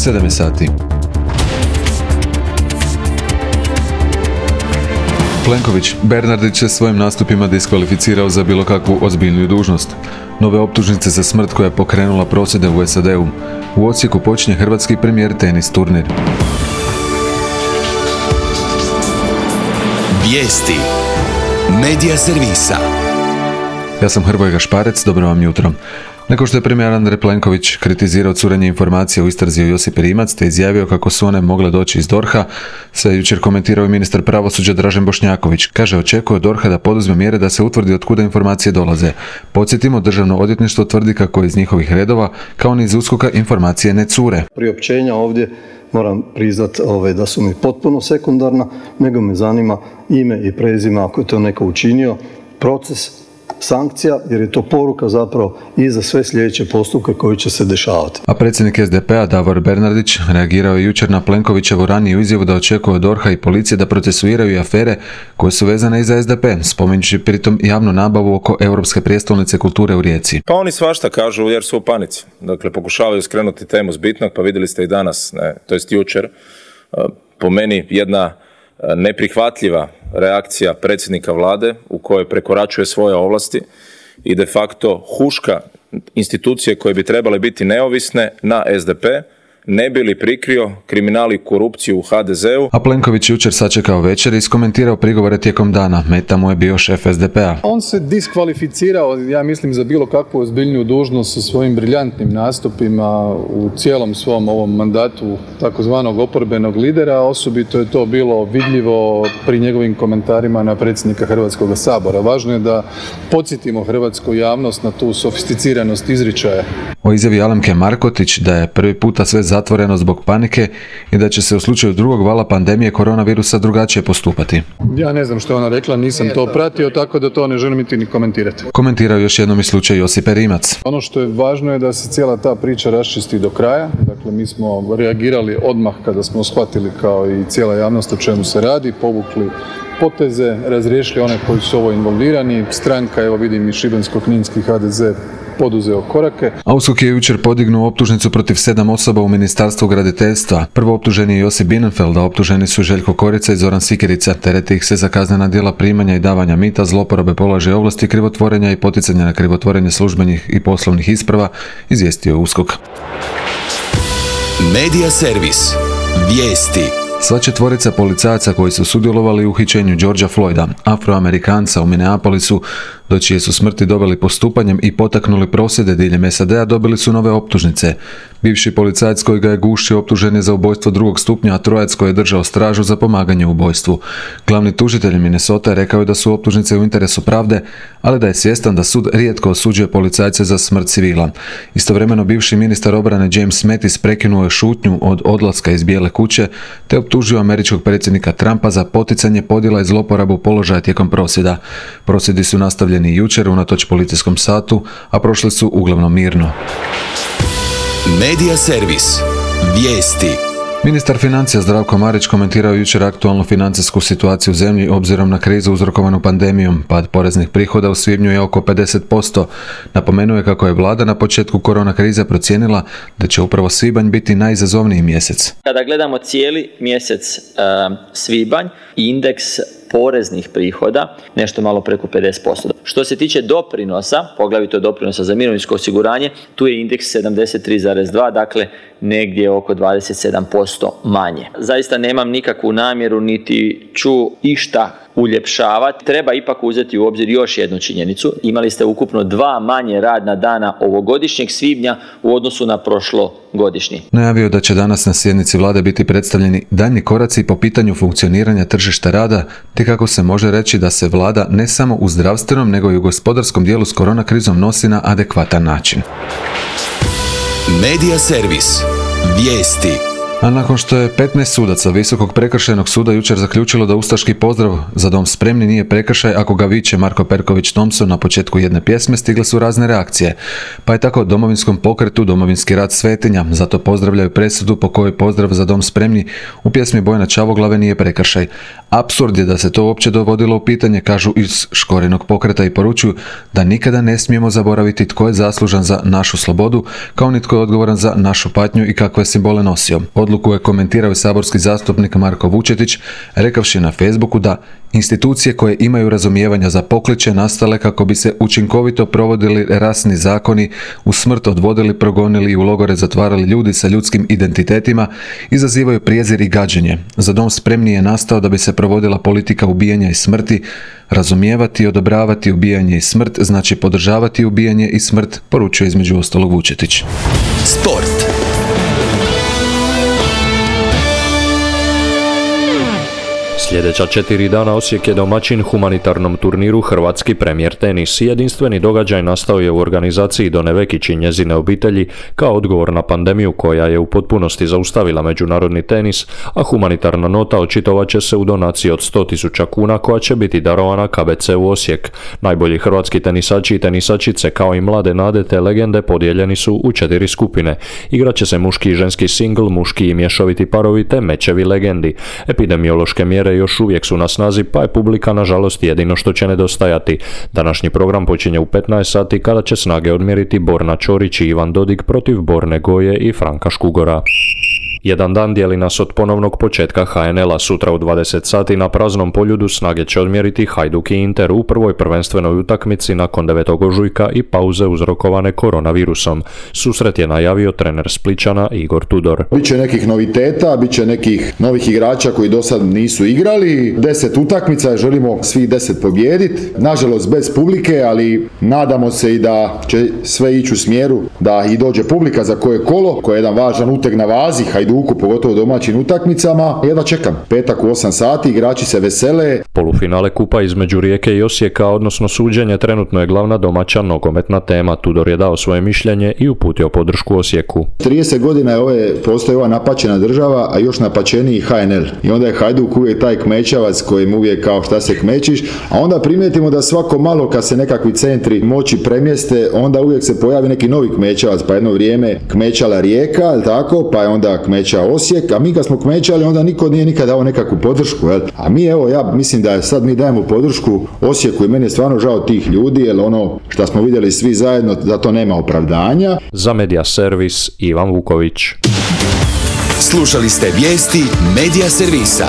7 sati. Plenković, Bernardić se svojim nastupima diskvalificirao za bilo kakvu ozbiljniju dužnost. Nove optužnice za smrt koja je pokrenula prosvjede u SAD-u. U Osijeku počinje hrvatski premijer tenis turnir. Vijesti Medija servisa. Ja sam Hrvoje Gašparec, dobro vam jutro. Nakon što je premijer Andrej Plenković kritizirao curenje informacija u istrazi o Josipi Rimac te izjavio kako su one mogle doći iz DORH-a, sve jučer komentirao i ministar pravosuđa Dražen Bošnjaković. Kaže, očekuje od DORH-a da poduzme mjere da se utvrdi od kuda informacije dolaze. Podsjetimo, Državno odvjetništvo tvrdi kako iz njihovih redova, kao ni iz USKOK-a, informacije ne cure. Priopćenja ovdje moram priznati da su mi potpuno sekundarna, nego me zanima ime i prezime ako je to neko učinio, proces, sankcija, jer je to poruka zapravo i za sve sljedeće postupke koji će se dešavati. A predsjednik SDP-a Davor Bernardić reagirao je jučer na Plenkovićevu raniju izjavu da očekuje od DORH-a i policije da procesuiraju i afere koje su vezane i za SDP, spominjući pritom javnu nabavu oko Europske prijestolnice kulture u Rijeci. Pa oni svašta kažu jer su u panici. Dakle, pokušavaju skrenuti temu s bitnog, pa vidjeli ste i danas, to jest jučer, po meni jedna neprihvatljiva reakcija predsjednika vlade u kojoj prekoračuje svoje ovlasti i de facto huška institucije koje bi trebale biti neovisne na SDP, ne bi li prikrio kriminal i korupciju u HDZ-u. A Plenković jučer sačekao večer i iskomentirao prigovore tijekom dana. Meta mu je bio šef SDP-a. On se diskvalificirao, ja mislim, za bilo kakvu ozbiljniju dužnost sa svojim briljantnim nastupima u cijelom svom ovom mandatu takozvanog oporbenog lidera. Osobito je to bilo vidljivo pri njegovim komentarima na predsjednika Hrvatskog sabora. Važno je da podsjetimo hrvatsku javnost na tu sofisticiranost izričaja. O izjavi Alemke Markotić da je prvi puta sve zatvoreno zbog panike i da će se u slučaju drugog vala pandemije koronavirusa drugačije postupati. Ja ne znam što je ona rekla, nisam to pratio, tako da to ne želim niti ni komentirati. Komentirao još jednom i slučaj Josipe Rimac. Ono što je važno je da se cijela ta priča raščisti do kraja. Dakle, mi smo reagirali odmah kada smo shvatili, kao i cijela javnost, o čemu se radi, povukli poteze, razriješili one koji su ovo involvirani. Stranka, evo vidim i Šibensko-kninski HDZ, poduzeo korake. A USKOK je jučer podignuo optužnicu protiv 7 osoba u Ministarstvu graditeljstva. Prvo optuženi je Josip Bienenfeld, a optuženi su Željko Korica i Zoran Sikirica. Tereti ih se za kaznena djela primanja i davanja mita, zloporabe položaja ovlasti, krivotvorenja i poticanja na krivotvorenje službenih i poslovnih isprava, izvijestio je USKOK. Medija servis. Vijesti. Sva četvorica policajaca koji su sudjelovali u uhićenju Georgea Floyda, Afroamerikanca u Minneapolisu, do čije su smrti doveli postupanjem i potaknuli prosvjede diljem SAD-a, dobili su nove optužnice. Bivši policajac koji ga je gušio optužen je za ubojstvo drugog stupnja, a trojac koji je držao stražu za pomaganje u ubojstvu. Glavni tužitelj Minnesota rekao je da su optužnice u interesu pravde, ali da je svjestan da sud rijetko osuđuje policajce za smrt civila. Istovremeno bivši ministar obrane James Mattis prekinuo je šutnju od odlaska iz Bijele kuće te optužio američkog predsjednika Trumpa za poticanje podjela i zloporabu položaja tijekom prosvjeda. Prosvjedi su nastavljeni i jučer unatoč policijskom satu, a prošli su uglavnom mirno. Medija servis. Vijesti. Ministar financija Zdravko Marić komentirao jučer aktualnu financijsku situaciju u zemlji obzirom na krizu uzrokovanu pandemijom. Pad poreznih prihoda u svibnju je oko 50%. Napomenuo je kako je vlada na početku korona krize procijenila da će upravo svibanj biti najizazovniji mjesec. Kada gledamo cijeli mjesec svibanj, indeks poreznih prihoda nešto malo preko 50%. Što se tiče doprinosa, poglavito doprinosa za mirovinsko osiguranje, tu je indeks 73,2, dakle negdje oko 27% manje. Zaista nemam nikakvu namjeru niti ću išta uljepšavati. Treba ipak uzeti u obzir još jednu činjenicu. Imali ste ukupno 2 manje radna dana ovogodišnjeg svibnja u odnosu na prošlogodišnji. Najavio da će danas na sjednici vlade biti predstavljeni daljnji koraci po pitanju funkcioniranja tržišta rada, te kako se može reći da se vlada ne samo u zdravstvenom nego i u gospodarskom dijelu s korona krizom nosi na adekvatan način. Medija servis. Vijesti. A nakon što je 15 sudaca Visokog prekršajnog suda jučer zaključilo da ustaški pozdrav "Za dom spremni" nije prekršaj ako ga viče Marko Perković Thompson na početku jedne pjesme, stigle su razne reakcije. Pa je tako Domovinskom pokretu Domovinski rat svetinja, zato pozdravljaju presudu po kojoj pozdrav "Za dom spremni" u pjesmi Bojana Čavoglave nije prekršaj. Apsurd je da se to uopće dovodilo u pitanje, kažu iz Škorinog pokreta, i poručuju da nikada ne smijemo zaboraviti tko je zaslužan za našu slobodu, kao ni tko je odgovoran za našu patnju i kakve simbole nosio. Odluku je komentirao saborski zastupnik Marko Vučetić, rekavši na Facebooku da institucije koje imaju razumijevanja za pokliče nastale kako bi se učinkovito provodili rasni zakoni, u smrt odvodili, progonili i u logore zatvarali ljudi sa ljudskim identitetima, izazivaju prijezir i gađenje. Za dom spremni je nastao da bi se provodila politika ubijanja i smrti. Razumijevati i odobravati ubijanje i smrt znači podržavati ubijanje i smrt, poručuje između ostalog Vučetić. Sport. Sljedeća 4 dana Osijek je domaćin humanitarnom turniru Hrvatski premijer tenis. Jedinstveni događaj nastao je u organizaciji Done Vekić i njezine obitelji kao odgovor na pandemiju koja je u potpunosti zaustavila međunarodni tenis, a humanitarna nota očitovat će se u donaciji od 100.000 kuna koja će biti darovana KBC-u Osijek. Najbolji hrvatski tenisači i tenisačice kao i mlade nade te legende podijeljeni su u 4 skupine. Igraće se muški i ženski singl, muški i mješoviti parovi te mečevi legendi. Epidemiološke mjere još uvijek su na snazi, pa je publika nažalost jedino što će nedostajati. Današnji program počinje u 15 sati kada će snage odmjeriti Borna Ćorić i Ivan Dodig protiv Borne Goje i Franka Škugora. Jedan dan dijeli nas od ponovnog početka HNL-a. Sutra u 20 sati na praznom poljudu snage će odmjeriti Hajduk i Inter u prvoj prvenstvenoj utakmici nakon 9. ožujka i pauze uzrokovane koronavirusom. Susret je najavio trener Splićana Igor Tudor. Biće nekih noviteta, biće nekih novih igrača koji do sad nisu igrali. 10 utakmica, želimo svih 10 pobijediti. Nažalost bez publike, ali nadamo se i da će sve ići u smjeru da i dođe publika za koje kolo, koje je jedan važan uteg na vazi Hajduku, pogotovo domaćim utakmicama. Jedva čekam. Petak u 8 sati, igrači se vesele. Polufinale kupa između Rijeke i Osijeka, odnosno suđenje, trenutno je glavna domaća nogometna tema. Tudor je dao svoje mišljenje i uputio podršku Osijeku. 30 godina postoji ova napaćena država, a još napačeniji HNL. I onda je Hajduk uvijek taj kmećavac kojim uvijek kao šta se kmečiš, a onda primijetimo da svako malo kad se nekakvi centri moći premjeste, onda uvijek se pojavi neki novi kmećavac, pa jedno vrijeme kmećala Rijeka, jel tako, pa je onda kmeća Osijek, a mi kad smo kmećali onda niko nije nikad dao nekakvu podršku, jel? A mi ja mislim da sad mi dajemo podršku Osijeku i meni je stvarno žao tih ljudi, jer ono što smo vidjeli svi zajedno, da to nema opravdanja. Za Media Servis Ivan Vuković. Slušali ste vijesti Media Servisa.